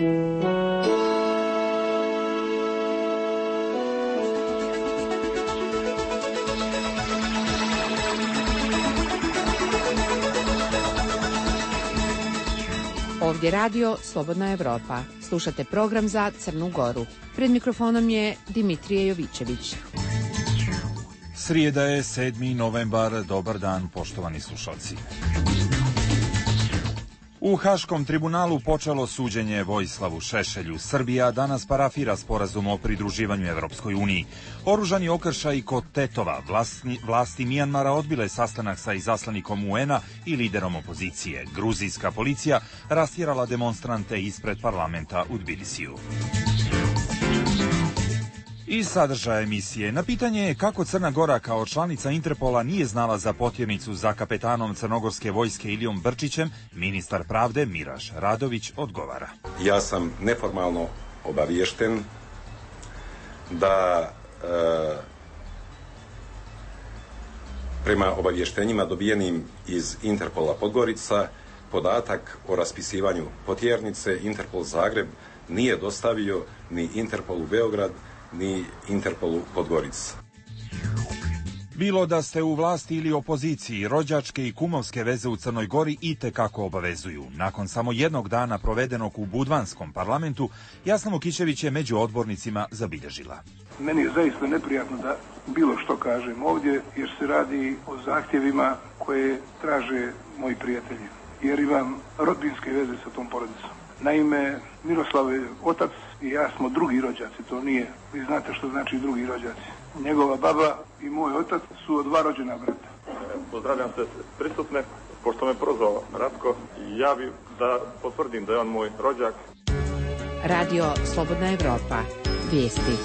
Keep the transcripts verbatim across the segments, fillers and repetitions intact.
Ovdje radio Slobodna Evropa. Slušate program za Crnu Goru. Pred mikrofonom je Dimitrije Jovićević. Srijeda je sedmi novembar. Dobar dan, poštovani slušalci. U Haškom tribunalu počelo suđenje Vojislavu Šešelju. Srbija danas parafira sporazum o pridruživanju Evropskoj uniji. Oružani okršaj kod Tetova. Vlasti, vlasti Mijanmara odbile sastanak sa izaslanikom U N-a i liderom opozicije. Gruzijska policija rastjerala demonstrante ispred parlamenta u Tbilisiju. I sadržaja emisije. Na pitanje kako Crna Gora kao članica Interpola nije znala za potjernicu za kapetanom crnogorske vojske Ilijom Brčićem, ministar pravde Miraš Radović odgovara. Ja sam neformalno obaviješten da e, prema obavještenjima dobijenim iz Interpola Podgorica podatak o raspisivanju potjernice Interpol Zagreb nije dostavio ni Interpolu Beograd ni Interpolu Podgorica. Bilo da ste u vlasti ili opoziciji, rođačke i kumovske veze u Crnoj Gori itekako obavezuju. Nakon samo jednog dana provedenog u Budvanskom parlamentu, Jasna Vukićević je među odbornicima zabilježila. Meni je zaista neprijatno da bilo što kažem ovdje, jer se radi o zahtjevima koje traže moji prijatelji, jer imam rodbinske veze sa tom porodicom. Naime, Miroslav je otac i ja smo drugi rođaci, to nije, vi znate što znači drugi rođaci. Njegova baba i moj otac su od dva rođena brata. Pozdravljam se prisutne, pošto me prozvao Ratko, ja bih da potvrdim da je on moj rođak. Radio Slobodna Evropa, vijesti.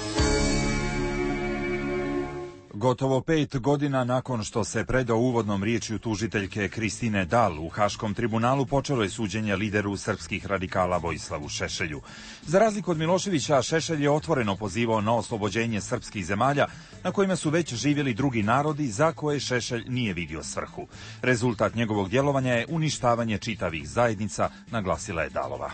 Gotovo pet godina nakon što se predao uvodnom riječju tužiteljke Kristine Dal u Haškom tribunalu počelo je suđenje lideru srpskih radikala Vojislavu Šešelju. Za razliku od Miloševića, Šešelj je otvoreno pozivao na oslobođenje srpskih zemalja na kojima su već živjeli drugi narodi za koje Šešelj nije vidio svrhu. Rezultat njegovog djelovanja je uništavanje čitavih zajednica, naglasila je Dalova.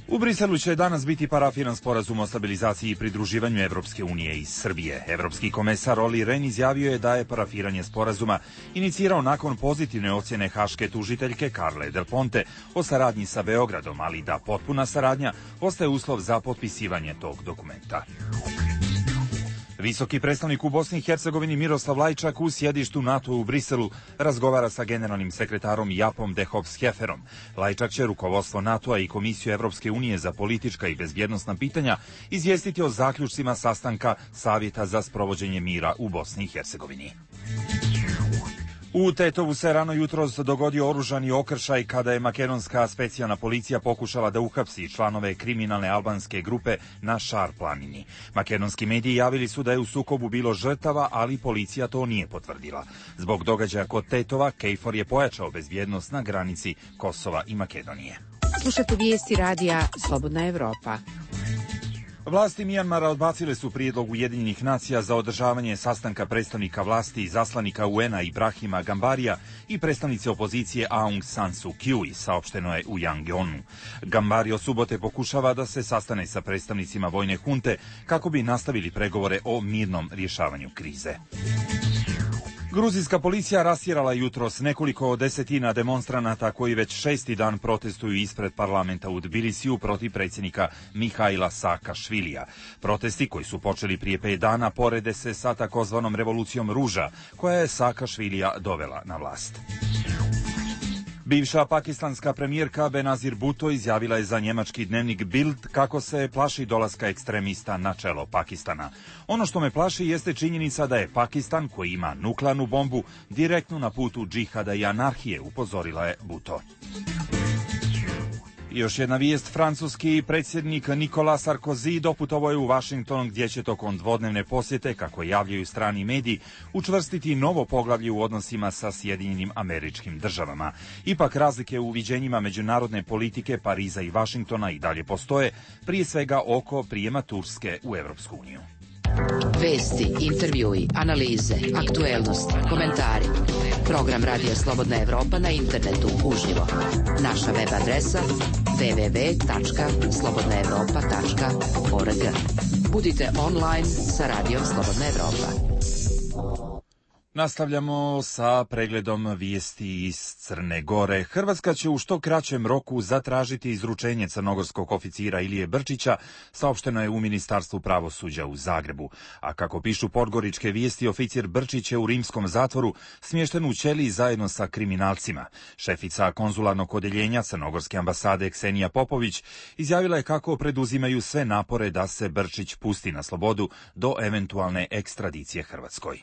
U Briselu će danas biti parafiran sporazum o stabilizaciji i pridruživanju Evropske unije i Srbije. Evropski komesar Olli Rehn izjavio je da je parafiranje sporazuma inicirao nakon pozitivne ocjene haške tužiteljke Carle Del Ponte o saradnji sa Beogradom, ali da potpuna saradnja ostaje uslov za potpisivanje tog dokumenta. Visoki predstavnik u Bosni i Hercegovini Miroslav Lajčak u sjedištu NATO u Briselu razgovara sa generalnim sekretarom Japom Dehovs-Heferom. Lajčak će rukovodstvo NATO-a i Komisiju Evropske unije za politička i bezbjednosna pitanja izvijestiti o zaključcima sastanka Savjeta za sprovođenje mira u Bosni i Hercegovini. U Tetovu se rano jutros dogodio oružani okršaj kada je makedonska specijalna policija pokušala da uhapsi članove kriminalne albanske grupe na Šar planini. Makedonski mediji javili su da je u sukobu bilo žrtava, ali policija to nije potvrdila. Zbog događaja kod Tetova, KFOR je pojačao bezbjednost na granici Kosova i Makedonije. Slušate vijesti radija Slobodna Evropa. Vlasti Mijanmara odbacile su prijedlog Ujedinjenih nacija za održavanje sastanka predstavnika vlasti i zaslanika U N-a Ibrahima Gambarija i predstavnice opozicije Aung San Suu Kyi, saopšteno je u Yangeonu. Gambari od subote pokušava da se sastane sa predstavnicima vojne hunte kako bi nastavili pregovore o mirnom rješavanju krize. Gruzijska policija rastjerala jutros nekoliko desetina demonstranata koji već šesti dan protestuju ispred parlamenta u Tbilisiju protiv predsjednika Mihaila Saakašvilija. Protesti koji su počeli prije pet dana porede se sa takozvanom revolucijom ruža koja je Saakašvilija dovela na vlast. Bivša pakistanska premijerka Benazir Bhutto izjavila je za njemački dnevnik Bild kako se plaši dolaska ekstremista na čelo Pakistana. Ono što me plaši jeste činjenica da je Pakistan, koji ima nuklearnu bombu, direktno na putu džihada i anarhije, upozorila je Bhutto. Još jedna vijest, francuski predsjednik Nicolas Sarkozy doputovao je u Washington gdje će tokom dvodnevne posjete, kako javljaju strani mediji, učvrstiti novo poglavlje u odnosima sa Sjedinjenim Američkim Državama. Ipak razlike u viđenjima međunarodne politike Pariza i Washingtona i dalje postoje, prije svega oko prijema Turske u Evropsku uniju. Vesti, intervjui, analize, aktuelnosti, komentari. Program Radija Slobodna Evropa na internetu uživo. Naša web adresa w w w tačka slobodna evropa tačka org. Budite online sa Radijom Slobodna Evropa. Nastavljamo sa pregledom vijesti iz Crne Gore. Hrvatska će u što kraćem roku zatražiti izručenje crnogorskog oficira Ilije Brčića, saopšteno je u Ministarstvu pravosuđa u Zagrebu. A kako pišu podgoričke vijesti, oficir Brčić je u rimskom zatvoru smješten u ćeliji zajedno sa kriminalcima. Šefica konzularnog odeljenja Crnogorske ambasade Ksenija Popović izjavila je kako preduzimaju sve napore da se Brčić pusti na slobodu do eventualne ekstradicije Hrvatskoj.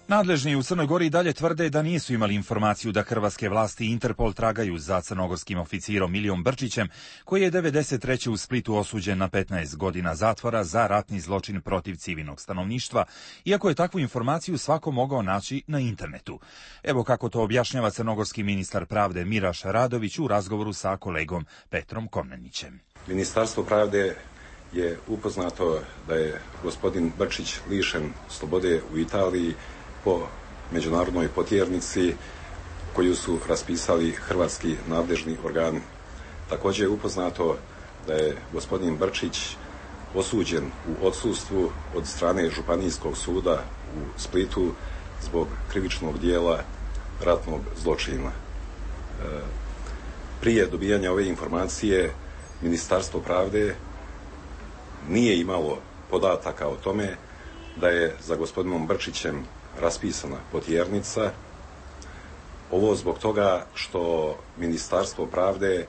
Nadležni u Crnoj Gori dalje tvrde da nisu imali informaciju da hrvatske vlasti i Interpol tragaju za crnogorskim oficirom Ilijom Brčićem, koji je devedeset treće u Splitu osuđen na petnaest godina zatvora za ratni zločin protiv civilnog stanovništva, iako je takvu informaciju svako mogao naći na internetu. Evo kako to objašnjava crnogorski ministar pravde Miraš Radović u razgovoru sa kolegom Petrom Komnenićem. Ministarstvo pravde je upoznato da je gospodin Brčić lišen slobode u Italiji po međunarodnoj potjernici koju su raspisali hrvatski nadležni organi. Također je upoznato da je gospodin Brčić osuđen u odsustvu od strane Županijskog suda u Splitu zbog krivičnog dijela ratnog zločina. Prije dobijanja ove informacije Ministarstvo pravde nije imalo podataka o tome da je za gospodinom Brčićem raspisana potjernica. Ovo zbog toga što Ministarstvo pravde e,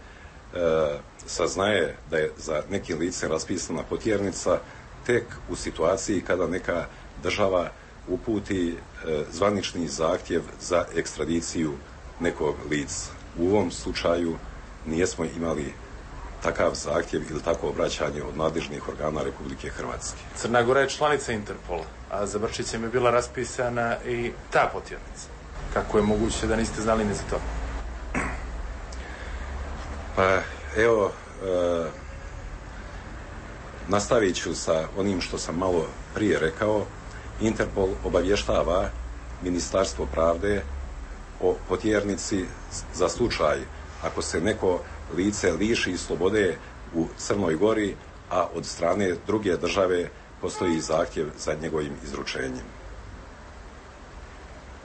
saznaje da je za nekim licem raspisana potjernica tek u situaciji kada neka država uputi e, zvanični zahtjev za ekstradiciju nekog lica. U ovom slučaju nijesmo imali takav zahtjev ili takvo obraćanje od nadležnih organa Republike Hrvatske. Crna Gora je članica Interpola, a za Brčićem je bila raspisana i ta potjernica. Kako je moguće da niste znali ni za to? Pa evo, e, nastavit ću sa onim što sam malo prije rekao. Interpol obavještava Ministarstvo pravde o potjernici za slučaj ako se neko lice liši slobode u Crnoj Gori, a od strane druge države postoji zahtjev za njegovim izručenjem.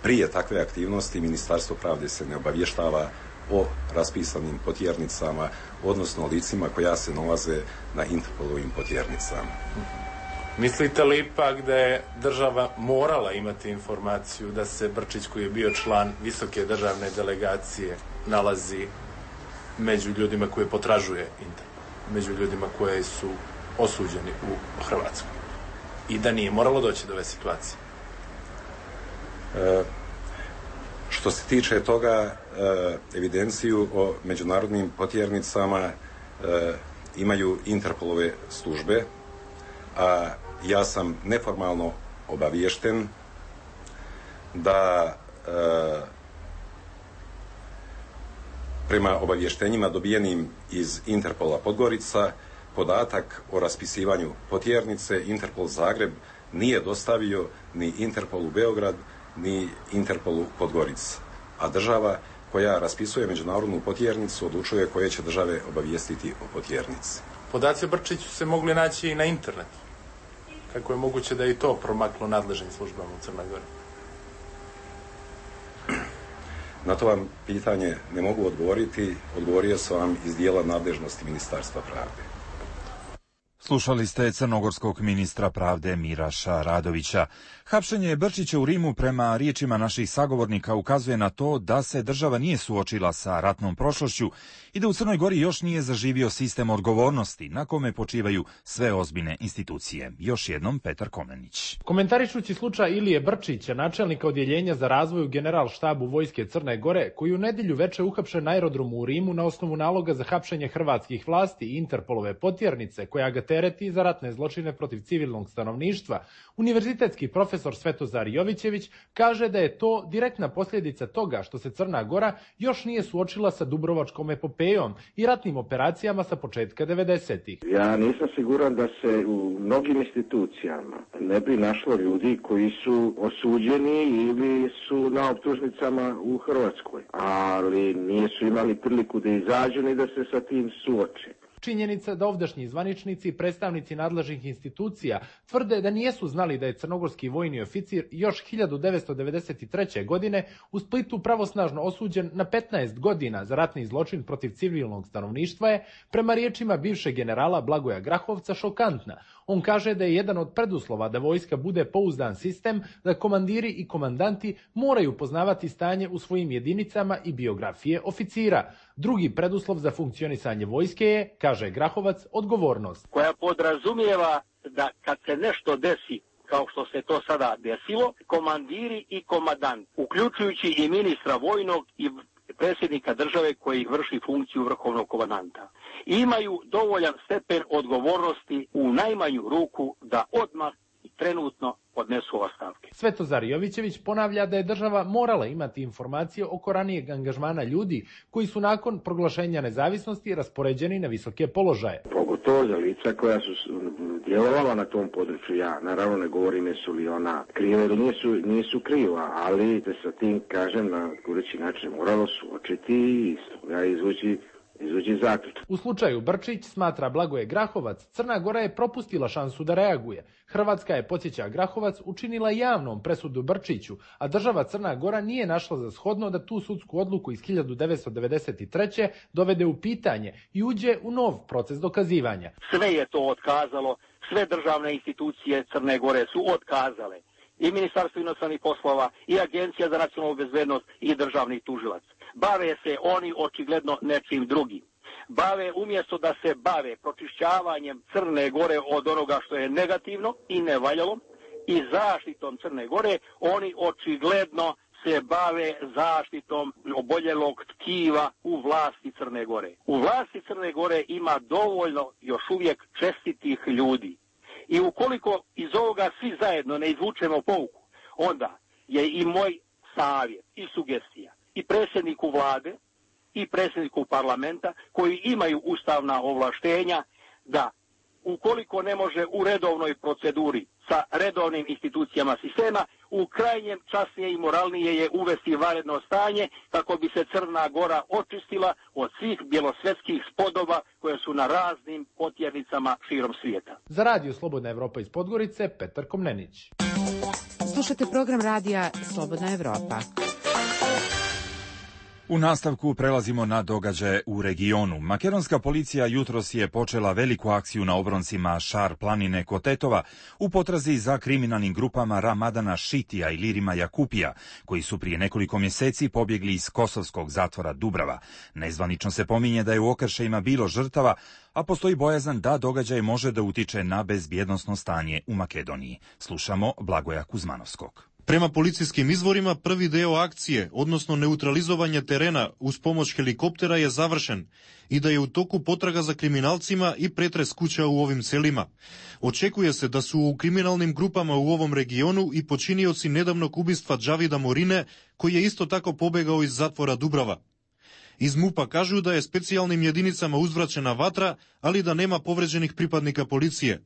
Prije takve aktivnosti Ministarstvo pravde se ne obavještava o raspisanim potjernicama, odnosno licima koja se nalaze na Interpolovim potjernicama. Mislite li ipak da je država morala imati informaciju da se Brčić, koji je bio član visoke državne delegacije, nalazi među ljudima koje potražuje Interpol, među ljudima koje su osuđeni u Hrvatskoj, i da nije moralo doći do ove situacije? E, što se tiče toga, e, evidenciju o međunarodnim potjernicama e, imaju Interpolove službe, a ja sam neformalno obaviješten da e, prema obavještenjima dobijenim iz Interpola Podgorica, podatak o raspisivanju potjernice Interpol Zagreb nije dostavio ni Interpolu Beograd, ni Interpolu Podgorica. A država koja raspisuje međunarodnu potjernicu odlučuje koje će države obavijestiti o potjernici. Podaci o Brčiću se mogli naći i na internetu. Kako je moguće da je i to promaklo nadležnim službama u Crnoj Gori? Na to vam pitanje ne mogu odgovoriti. Odgovorio sam vam iz dijela nadležnosti Ministarstva pravde. Slušali ste crnogorskog ministra pravde Miraša Radovića. Hapšenje Brčića u Rimu, prema riječima naših sagovornika, ukazuje na to da se država nije suočila sa ratnom prošlošću i da u Crnoj Gori još nije zaživio sistem odgovornosti na kome počivaju sve ozbiljne institucije. Još jednom Petar Komnenić. Komentarišući slučaj Ilije Brčića, načelnika odjeljenja za razvoj u Generalštabu Vojske Crne Gore, koji u nedjelju veče uhapšen na aerodromu u Rimu na osnovu naloga za hapšenje hrvatskih vlasti i Interpolove potjernice koja ga tera tereti za ratne zločine protiv civilnog stanovništva, univerzitetski profesor Svetozar Jovićević kaže da je to direktna posljedica toga što se Crna Gora još nije suočila sa Dubrovačkom epopejom i ratnim operacijama sa početka devedesetih. Ja nisam siguran da se u mnogim institucijama ne bi našlo ljudi koji su osuđeni ili su na optužnicama u Hrvatskoj, ali nisu imali priliku da izađu ni da se sa tim suoče. Činjenica da ovdašnji zvaničnici i predstavnici nadležnih institucija tvrde da nijesu znali da je crnogorski vojni oficir još hiljadu devetsto devedeset treće. godine u Splitu pravosnažno osuđen na petnaest godina za ratni zločin protiv civilnog stanovništva je, prema riječima bivšeg generala Blagoja Grahovca, šokantna. On kaže da je jedan od preduslova da vojska bude pouzdan sistem, da komandiri i komandanti moraju poznavati stanje u svojim jedinicama i biografije oficira. Drugi preduslov za funkcionisanje vojske je, kaže Grahovac, odgovornost. Koja podrazumijeva da kad se nešto desi, kao što se to sada desilo, komandiri i komandanti, uključujući i ministra vojnog i predsjednika države koji vrši funkciju vrhovnog komandanta, imaju dovoljan stepen odgovornosti u najmanju ruku da odmah i trenutno podnesu ostavke. Svetozar Jovićević ponavlja da je država morala imati informacije oko ranijeg angažmana ljudi koji su nakon proglašenja nezavisnosti raspoređeni na visoke položaje. Pogotovo za lica koja su djelovala na tom području. Ja naravno ne govorim jesu li ona kriva ili nisu, nisu kriva, ali da sa tim, kažem, na kureći način moralo suočiti i ja izvući izvući zaključak. U slučaju Brčić, smatra Blagoje Grahovac, Crna Gora je propustila šansu da reaguje. Hrvatska je, podsjeća Grahovac, učinila javnom presudu Brčiću, a država Crna Gora nije našla za shodno da tu sudsku odluku iz hiljadu devetsto devedeset treće. dovede u pitanje i uđe u nov proces dokazivanja. Sve je to otkazalo, sve državne institucije Crne Gore su otkazale. I Ministarstvo inostranih poslova, i Agencija za nacionalnu bezbednost, i državni tužilac. Bave se oni očigledno nečim drugim. Bave, umjesto da se bave pročišćavanjem Crne Gore od onoga što je negativno i nevaljalo i zaštitom Crne Gore, oni očigledno se bave zaštitom oboljelog tkiva u vlasti Crne Gore. U vlasti Crne Gore ima dovoljno još uvijek čestitih ljudi. I ukoliko iz ovoga svi zajedno ne izvučemo pouku, onda je i moj savjet i sugestija i predsjedniku vlade i predsjedniku parlamenta koji imaju ustavna ovlaštenja da ukoliko ne može u redovnoj proceduri sa redovnim institucijama sistema, u krajnjem časnije i moralnije je uvesti vanredno stanje kako bi se Crna Gora očistila od svih bjelosvetskih spodoba koje su na raznim potjernicama širom svijeta. Za Radio Slobodna Evropa iz Podgorice, Petar Komnenić. Slušate program radija Slobodna Evropa. U nastavku prelazimo na događaje u regionu. Makedonska policija jutros je počela veliku akciju na obroncima Šar planine kod Tetova u potrazi za kriminalnim grupama Ramadana Šitija i Lirima Jakupija, koji su prije nekoliko mjeseci pobjegli iz kosovskog zatvora Dubrava. Nezvanično se pominje da je u okršajima bilo žrtava, a postoji bojazan da događaj može da utiče na bezbjednosno stanje u Makedoniji. Slušamo Blagoja Kuzmanovskog. Prema policijskim izvorima, prvi deo akcije, odnosno neutralizovanje terena uz pomoć helikoptera je završen i da je u toku potraga za kriminalcima i pretres kuća u ovim selima. Očekuje se da su u kriminalnim grupama u ovom regionu i počinioci nedavnog ubistva Džavida Morine, koji je isto tako pobegao iz zatvora Dubrava. Iz MUP-a kažu da je specijalnim jedinicama uzvraćena vatra, ali da nema povređenih pripadnika policije.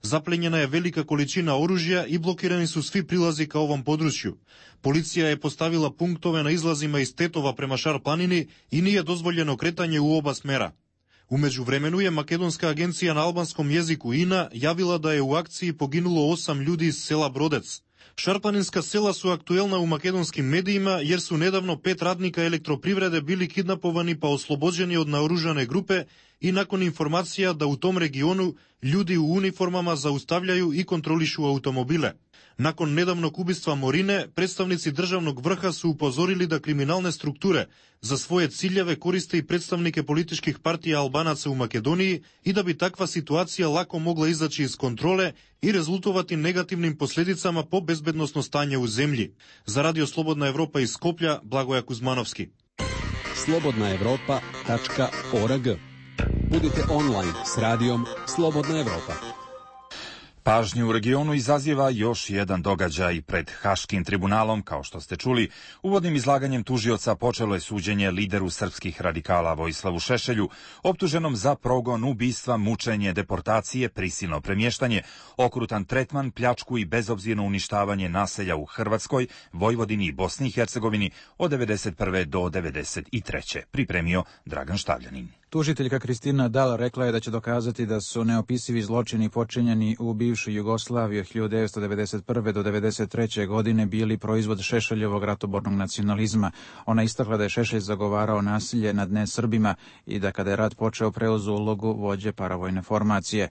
Zaplenjena je velika količina oružja i blokirani su svi prilazi ka ovom području. Policija je postavila punktove na izlazima iz Tetova prema Šar planini i nije dozvoljeno kretanje u oba smera. U međuvremenu je Makedonska agencija na albanskom jeziku I N A javila da je u akciji poginulo osam ljudi iz sela Brodec. Šarplaninska sela su aktuelna u makedonskim medijima jer su nedavno pet radnika elektroprivrede bili kidnapovani pa oslobođeni od naoružane grupe i nakon informacija da u tom regionu ljudi u uniformama zaustavljaju i kontrolišu automobile. Nakon nedavnog ubistva Morine, predstavnici državnog vrha su upozorili da kriminalne strukture za svoje ciljeve koriste i predstavnike političkih partija Albanaca u Makedoniji i da bi takva situacija lako mogla izaći iz kontrole i rezultovati negativnim posljedicama po bezbednosno stanje u zemlji. Za Radio Slobodna Evropa iz Skoplja, Blagoja Kuzmanovski. slobodna evropa tačka org. Budite online s radijom Slobodna Evropa. Pažnju u regionu izaziva još jedan događaj pred Haškim tribunalom. Kao što ste čuli, uvodnim izlaganjem tužioca počelo je suđenje lideru srpskih radikala Vojislavu Šešelju, optuženom za progon, ubistva, mučenje, deportacije, prisilno premještanje, okrutan tretman, pljačku i bezobzirno uništavanje naselja u Hrvatskoj, Vojvodini i Bosni i Hercegovini od devedeset prve do devedeset treće Pripremio Dragan Štavljanin. Tužiteljka Kristina Dal rekla je da će dokazati da su neopisivi zločini počinjeni u bivšoj Jugoslaviji od hiljadu devetsto devedeset prve do devedeset treće godine bili proizvod Šešeljevog ratobornog nacionalizma. Ona istakla da je Šešelj zagovarao nasilje nad nesrbima i da kada je rat počeo preuzu ulogu vođe paravojne formacije.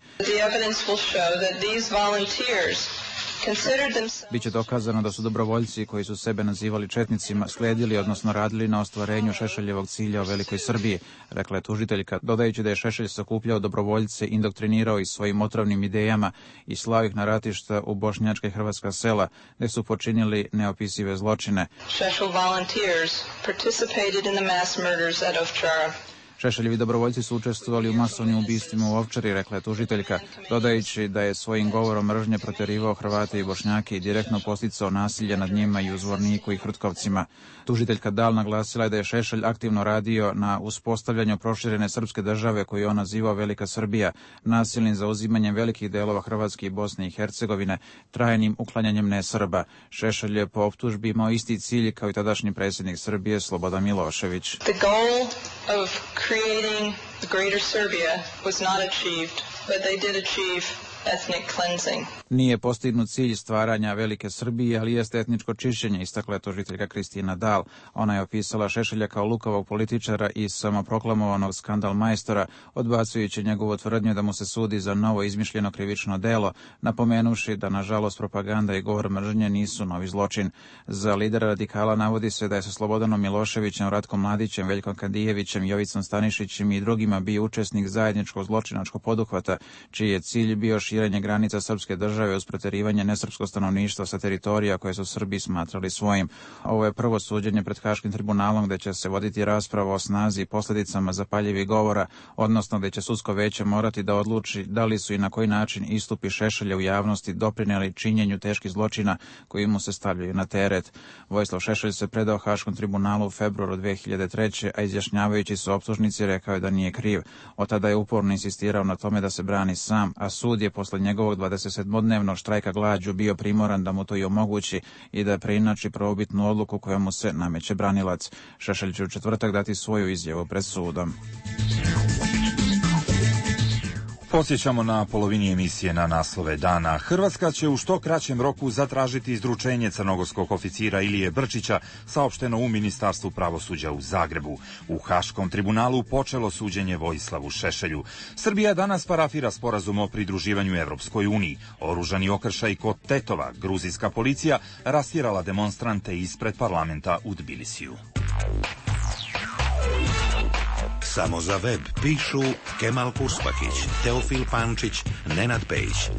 Biće dokazano da su dobrovoljci koji su sebe nazivali četnicima slijedili, odnosno radili na ostvarenju Šešeljevog cilja o Velikoj Srbiji, rekla je tužiteljka, dodajući da je Šešelj sakupljao dobrovoljce, indoktrinirao ih svojim otrovnim idejama i slao ih na ratišta u bošnjačka i hrvatska sela, gde su počinili neopisive zločine. Šešelj volunteers participated in the mass murders at Ovčara. Šešeljevi dobrovoljci su učestvovali u masovnim ubistvima u Ovčari, rekla je tužiteljka, dodajući da je svojim govorom mržnje proterivao Hrvate i Bošnjake i direktno posticao nasilje nad njima i u Zvorniku i Hrtkovcima. Tužiteljka Dal naglasila je da je Šešelj aktivno radio na uspostavljanju proširene srpske države koju on nazivao Velika Srbija, nasilnim zauzimanjem velikih delova Hrvatske i Bosne i Hercegovine, trajnim uklanjanjem nesrba. Šešelj je po optužbi imao isti cilj kao i tadašnji predsjednik Srbije Slobodan Milošević. The goal of creating the greater Serbia was not achieved, but they did achieve ethnic cleansing. Nije postignut cilj stvaranja Velike Srbije, ali jeste etničko čišćenje, istakla je tužiteljka Kristina Dal. Ona je opisala Šešelja kao lukavog političara i samoproklamovanog skandal majstora, odbacujući njegovu tvrdnju da mu se sudi za novo izmišljeno krivično delo, napomenuši da, nažalost, propaganda i govor mržnje nisu novi zločin. Za lidera radikala navodi se da je sa Slobodanom Miloševićem, Ratkom Mladićem, Veljkom Kadijevićem, Jovicom Stanišićem i drugima bio učesnik zajedničkog zločinačkog poduhvata, čiji je cilj bio širenje granica srpske države uz preterivanje nesrpskog stanovništva sa teritorija koje su Srbi smatrali svojim. Ovo je prvo suđenje pred Haškim tribunalom gde će se voditi rasprava o snazi i posljedicama zapaljivih govora, odnosno gde će sudsko veće morati da odluči da li su i na koji način istupi Šešelja u javnosti doprinijeli činjenju teških zločina koji mu se stavljaju na teret. Vojislav Šešelj se predao Haškom tribunalu u februaru dve hiljade treće. a izjašnjavajući se optužnici rekao je da nije kriv. Od tada je uporno insistirao na tome da se brani sam, a sud je posle njegovog dvadesetsedmodnevnog štrajka glađu bio primoran da mu to i omogući i da preinači prvobitnu odluku koja mu se nameće branilac. Šešelj će u četvrtak dati svoju izjavu pred sudom. Posjećamo na polovini emisije na naslove dana. Hrvatska će u što kraćem roku zatražiti izručenje crnogorskog oficira Ilije Brčića, saopšteno u Ministarstvu pravosuđa u Zagrebu. U Haškom tribunalu počelo suđenje Vojislavu Šešelju. Srbija danas parafira sporazum o pridruživanju Evropskoj uniji. Oružani okršaj kod Tetova, gruzijska policija rastjerala demonstrante ispred parlamenta u Tbilisiju. Samo za web pišu Kemal Kuspakić, Teofil Pančić, Nenad Pejić.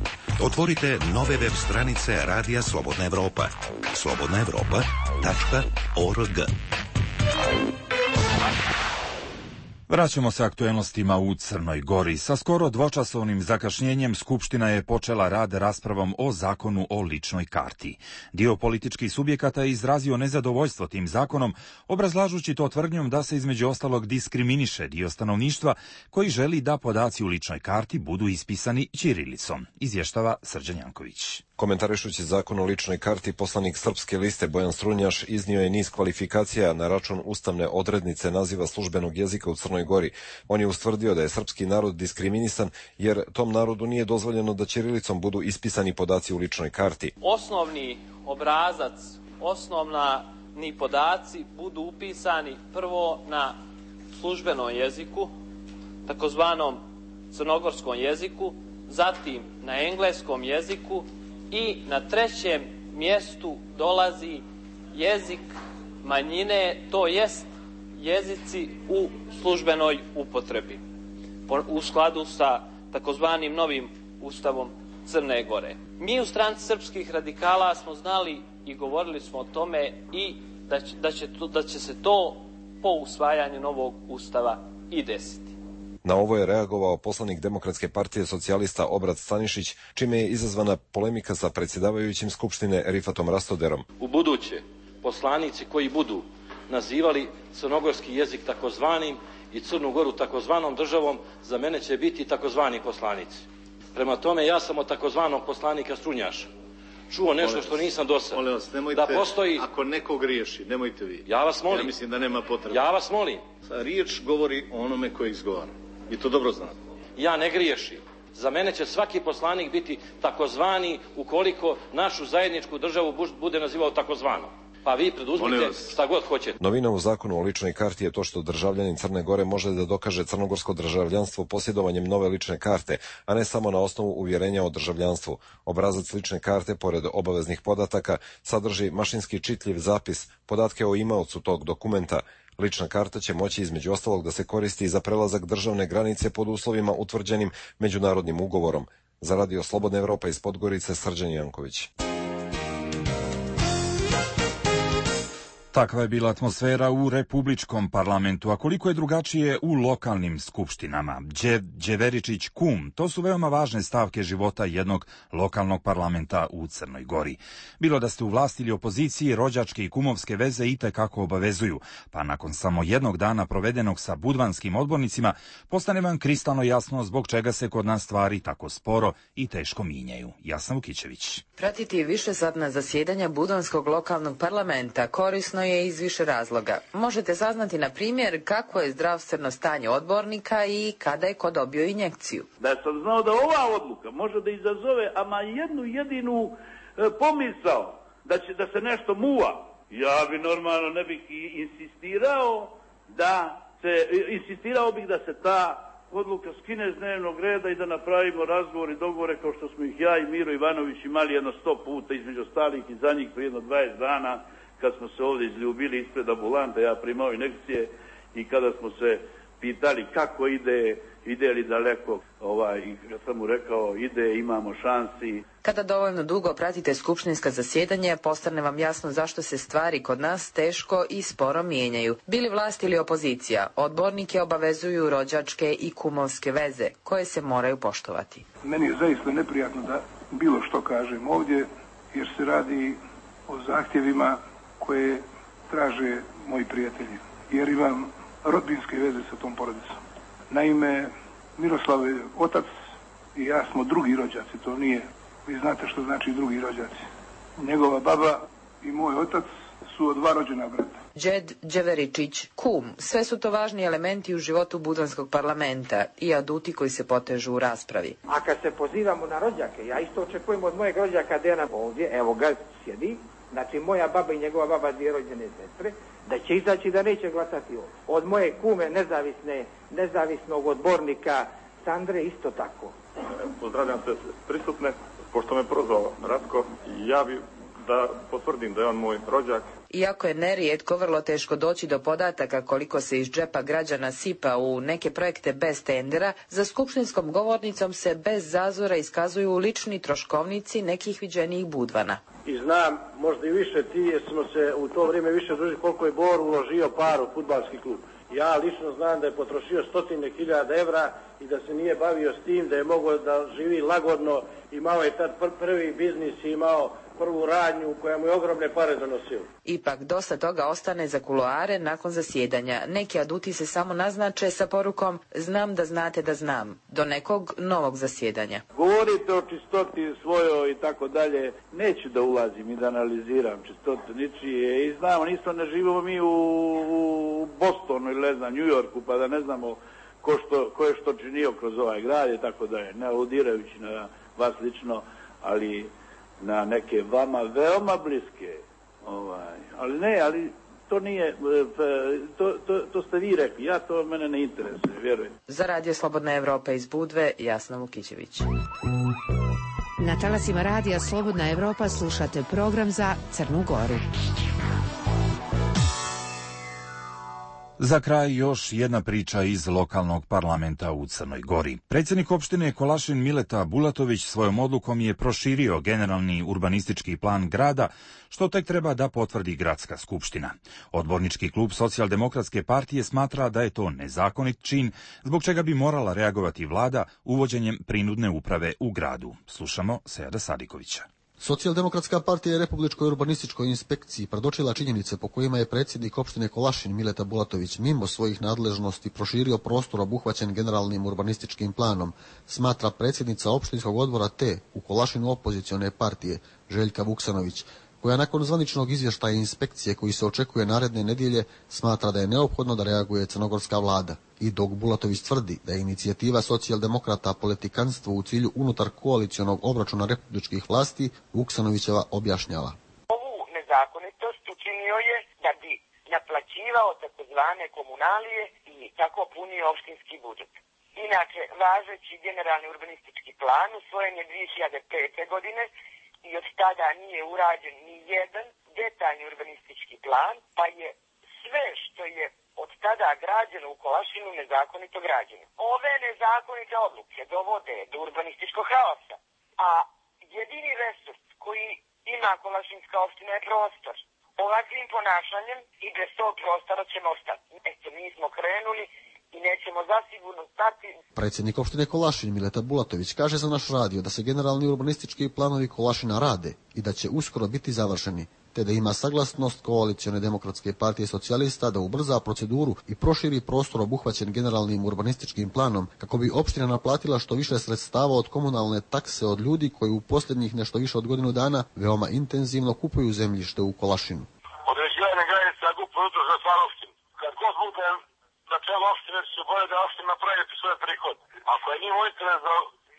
Otvorite nove web stranice Radija Slobodna Evropa. slobodna evropa tačka org. Vraćamo se aktuelnostima u Crnoj Gori. Sa skoro dvočasovnim zakašnjenjem Skupština je počela rad raspravom o zakonu o ličnoj karti. Dio političkih subjekata je izrazio nezadovoljstvo tim zakonom, obrazlažući to tvrdnjom da se između ostalog diskriminiše dio stanovništva koji želi da podaci u ličnoj karti budu ispisani ćirilicom, izvještava Srđan Janković. Komentarišući zakon o ličnoj karti, poslanik Srpske liste Bojan Strunjaš iznio je niz kvalifikacija na račun ustavne odrednice naziva službenog jezika u Crnoj Gori. On je ustvrdio da je srpski narod diskriminisan jer tom narodu nije dozvoljeno da ćirilicom budu ispisani podaci u ličnoj karti. Osnovni obrazac, osnovni podaci budu upisani prvo na službenom jeziku, takozvanom crnogorskom jeziku, zatim na engleskom jeziku, i na trećem mjestu dolazi jezik manjine, to jest jezici u službenoj upotrebi, u skladu sa takozvanim novim ustavom Crne Gore. Mi u stranci srpskih radikala smo znali i govorili smo o tome i da će, da će, da će se to po usvajanju novog ustava i desiti. Na ovo je reagovao poslanik Demokratske partije socijalista Obrat Stanišić, čime je izazvana polemika sa predsjedavajućim Skupštine Rifatom Rastoderom. U buduće poslanici koji budu nazivali crnogorski jezik takozvanim i Crnu Goru takozvanom državom, za mene će biti takozvani poslanici. Prema tome, ja sam od takozvanog poslanika Strunjaša čuo nešto što nisam do sada. Molim vas, nemojte, da postoji... ako neko griješi, nemojte vi. Ja vas molim. Ja mislim da nema potrebe. Ja vas molim. Riječ govori o onome koji izgovara. I to dobro znate. Ja ne griješim. Za mene će svaki poslanik biti takozvani ukoliko našu zajedničku državu bude nazivao takozvanom. Pa vi preduzmite šta god hoćete. Novina u zakonu o ličnoj karti je to što državljanin Crne Gore može da dokaže crnogorsko državljanstvo posjedovanjem nove lične karte, a ne samo na osnovu uvjerenja o državljanstvu. Obrazac lične karte, pored obaveznih podataka, sadrži mašinski čitljiv zapis, podatke o imaocu tog dokumenta. Lična karta će moći između ostalog da se koristi za prelazak državne granice pod uslovima utvrđenim međunarodnim ugovorom. Za Radio Slobodna Evropa iz Podgorice, Srđan Janković. Takva je bila atmosfera u Republičkom parlamentu, a koliko je drugačije u lokalnim skupštinama. Đe, Đeveričić kum, to su veoma važne stavke života jednog lokalnog parlamenta u Crnoj Gori. Bilo da ste u vlasti ili opoziciji, rođačke i kumovske veze i tekako obavezuju, pa nakon samo jednog dana provedenog sa budvanskim odbornicima, postane vam kristalno jasno zbog čega se kod nas stvari tako sporo i teško minjaju. Jasna Vukićević. Pratiti višesatna zasjedanja budvanskog lokalnog parlamenta korisno je iz više razloga. Možete saznati, na primjer, kako je zdravstveno stanje odbornika i kada je ko dobio injekciju. Da sam znao da ova odluka može da izazove ama jednu jedinu e, pomisao da će da se nešto muva, ja bi normalno ne bih i insistirao da se, insistirao bih da se ta odluka skine z dnevnog reda i da napravimo razgovor i dogovore kao što smo ih ja i Miro Ivanović imali jedno sto puta između ostalih i za njih prije jedno dvadeset dana, kad smo se ovdje izljubili ispred ambulante, ja primao injekcije i kada smo se pitali kako ide, ide li daleko, ovaj, i kad sam mu rekao ide, imamo šansi. Kada dovoljno dugo pratite skupštinska zasjedanja, postane vam jasno zašto se stvari kod nas teško i sporo mijenjaju. Bili vlast ili opozicija, odbornike obavezuju rođačke i kumovske veze, koje se moraju poštovati. Meni je zaista neprijatno da bilo što kažem ovdje, jer se radi o zahtjevima koje traže moji prijatelji, jer imam rodbinske veze sa tom porodicom. Naime, Miroslav je otac i ja smo drugi rođaci, to nije, vi znate što znači drugi rođaci. Njegova baba i moj otac su od dva rođena brata. Đed Đeveričić kum, sve su to važni elementi u životu budvanskog parlamenta i aduti koji se potežu u raspravi. A kad se pozivamo na rođake, ja isto očekujem od mojeg rođaka Dejana ovdje, evo ga sjedi, znači moja baba i njegova baba, dvije rođene sestre, da će izaći da neće glasati ovdje. Od moje kume nezavisne, nezavisnog odbornika Sandre isto tako. Pozdravljam se prisutne, pošto me prozvao Ratko, ja bi da potvrdim da je on moj rođak. Iako je nerijetko vrlo teško doći do podataka koliko se iz džepa građana sipa u neke projekte bez tendera, za skupštinskom govornicom se bez zazora iskazuju lični troškovnici nekih viđenijih budvana. I znam, možda i više ti, jer smo se u to vrijeme više družili koliko je Bor uložio par u fudbalski klub. Ja lično znam da je potrošio stotine hiljada evra i da se nije bavio s tim, da je mogao da živi lagodno, imao je tad pr prvi biznis i imao prvu radnju koja mu je ogromne pare donosila. Ipak dosta toga ostane za kuloare nakon zasjedanja. Neki aduti se samo naznače sa porukom znam da znate da znam, do nekog novog zasjedanja. Govorite o čistoti svojoj i tako dalje, neću da ulazim i da analiziram čistotu ničije i znamo, nisto ne živimo mi u, u Bostonu ili ne znam, New Yorku, pa da ne znamo ko, što, ko je što činio kroz ovaj grad i tako dalje, ne aludirajući na vas lično, ali na neke vama veoma bliske, ovaj, ali ne, ali to nije, to, to, to ste vi rekli, ja to mene ne interesuje, vjerujem. Za Radio Slobodna Evropa iz Budve, Jasna Vukićević. Na talasima Radija Slobodna Evropa slušate program za Crnu Goru. Za kraj još jedna priča iz lokalnog parlamenta u Crnoj Gori. Predsjednik opštine Kolašin Mileta Bulatović svojom odlukom je proširio generalni urbanistički plan grada, što tek treba da potvrdi gradska skupština. Odbornički klub Socijaldemokratske partije smatra da je to nezakonit čin, zbog čega bi morala reagovati vlada uvođenjem prinudne uprave u gradu. Slušamo Sejada Sadikovića. Socijaldemokratska partija je Republičkoj urbanističkoj inspekciji predočila činjenice po kojima je predsjednik opštine Kolašin Mileta Bulatović mimo svojih nadležnosti proširio prostor obuhvaćen generalnim urbanističkim planom, smatra predsjednica opštinskog odbora T u Kolašinu opozicione partije Željka Vuksanović, koja nakon zvaničnog izvještaja inspekcije koji se očekuje naredne nedjelje smatra da je neophodno da reaguje crnogorska vlada. I dok Bulatović tvrdi da je inicijativa socijaldemokrata politikanstvo u cilju unutar koalicionog obračuna republičkih vlasti, Vuksanovićeva objašnjava. Ovu nezakonitost učinio je da bi naplaćivao takozvane komunalije i tako punio opštinski budžet. Inače, važeći generalni urbanistički plan usvojen je dvije hiljade pete. godine i od tada nije urađen ni jedan detaljni urbanistički plan, pa je sve što je od tada građeno u Kolašinu nezakonito građeno. Ove nezakonite odluke dovode do urbanističkog haosa, a jedini resurs koji ima Kolašinska opština je prostor. Ovakvim ponašanjem i bez tog prostora ćemo ostati. Eto, mi smo krenuli i nećemo zasigurno stati. Predsjednik opštine Kolašin Mileta Bulatović kaže za naš radio da se generalni urbanistički planovi Kolašina rade i da će uskoro biti završeni, te da ima saglasnost koalicione demokratske partije socijalista da ubrza proceduru i proširi prostor obuhvaćen generalnim urbanističkim planom kako bi opština naplatila što više sredstava od komunalne takse od ljudi koji u posljednjih nešto više od godinu dana veoma intenzivno kupuju zemljište u Kolašinu. Određivanje granica G U P-a unutar za stvar opštine. Kad god bude na čelu opštine će se bolje da opština napraviti svoje prihode. Ako je njim interes da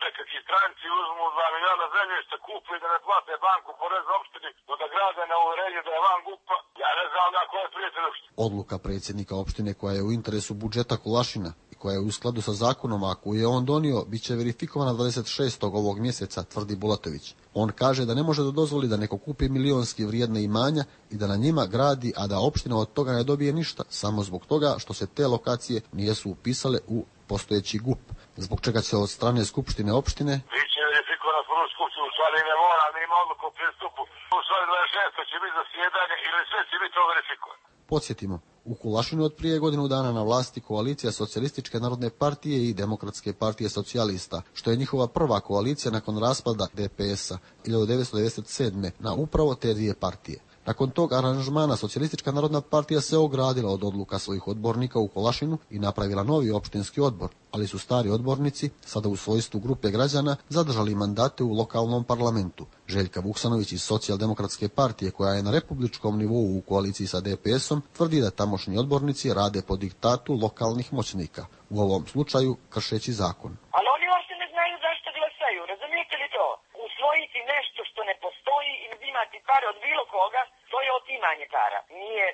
nekakvi stranci uzmu dva miliona zemljišta, kupu i da ne plate banku porez opštini, no da grade na uverenju da je van G U P-a, ja ne znam na koje prijatelj opštine. Odluka predsjednika opštine koja je u interesu budžeta Kolašina i koja je u skladu sa zakonom, a koju je on donio, bit će verifikovana dvadeset šestog ovog mjeseca, tvrdi Bulatović. On kaže da ne može da dozvoli da neko kupi milionski vrijedne imanja i da na njima gradi, a da opština od toga ne dobije ništa, samo zbog toga što se te lokacije nijesu upisale u postojeći G U P, zbog čega će od strane skupštine opštine biće verifikovana prvu skupštinu, u stvari ne mora, ne ima odluku o pristupu. U stvari dvadeset šestog će biti zasjedanje ili sve će biti to verifikovano. Podsjetimo, u Kulašinu od prije godinu dana na vlasti koalicija Socijalističke narodne partije i Demokratske partije socijalista, što je njihova prva koalicija nakon raspada D P S-a hiljadu devetsto devedeset sedme. na upravo te dvije partije. Nakon tog aranžmana Socijalistička narodna partija se ogradila od odluka svojih odbornika u Kolašinu i napravila novi opštinski odbor, ali su stari odbornici, sada u svojstvu grupe građana, zadržali mandate u lokalnom parlamentu. Željka Vuksanović iz Socijaldemokratske partije, koja je na republičkom nivou u koaliciji sa D P S-om, tvrdi da tamošnji odbornici rade po diktatu lokalnih moćnika, u ovom slučaju kršeći zakon. Ali oni uopšte ne znaju zašto glasaju, razumijete li to? Usvojiti nešto što ne postoji i uzimati pare od bilo koga, to je otimanje para. Nije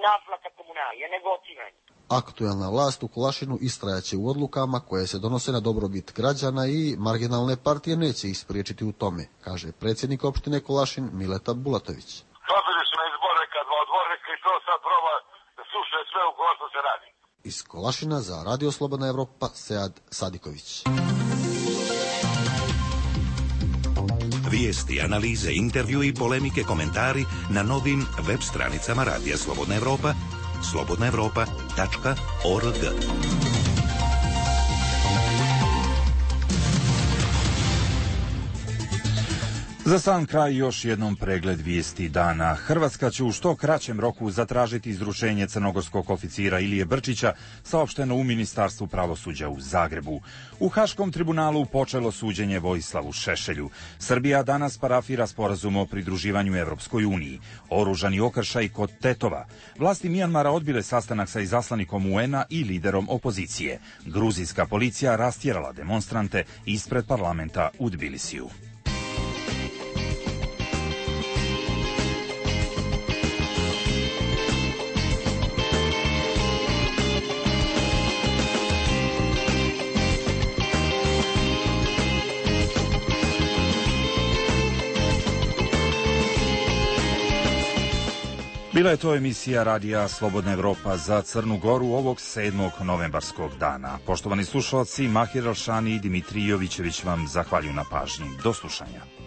naplata komunalije, nego otimanje. Aktuelna vlast u Kolašinu istrajaće u odlukama koje se donose na dobrobit građana i marginalne partije neće ih spriječiti u tome, kaže predsjednik opštine Kolašin Mileta Bulatović. Dobili su na izbore kad dva odbornika i to sad proba da slušaju sve u kola što se radi. Iz Kolašina za Radio Slobodna Evropa, Sejad Sadiković. Vijesti, analize, intervju i polemike, komentari na novim web stranicama Radija Slobodna Evropa, slobodna evropa tačka org. Za sam kraj još jednom pregled vijesti dana. Hrvatska će u što kraćem roku zatražiti izručenje crnogorskog oficira Ilije Brčića, saopšteno u Ministarstvu pravosuđa u Zagrebu. U Haškom tribunalu počelo suđenje Vojislavu Šešelju. Srbija danas parafira sporazum o pridruživanju Evropskoj uniji. Oružani okršaj kod Tetova. Vlasti Mijanmara odbile sastanak sa izaslanikom U N-a i liderom opozicije. Gruzijska policija rastjerala demonstrante ispred parlamenta u Tbilisiju. Bila je to emisija Radija Slobodna Evropa za Crnu Goru ovog sedmog novembarskog dana. Poštovani slušalci, Mahir Alšani i Dimitrij Jovićević vam zahvaljuju na pažnji. Do slušanja.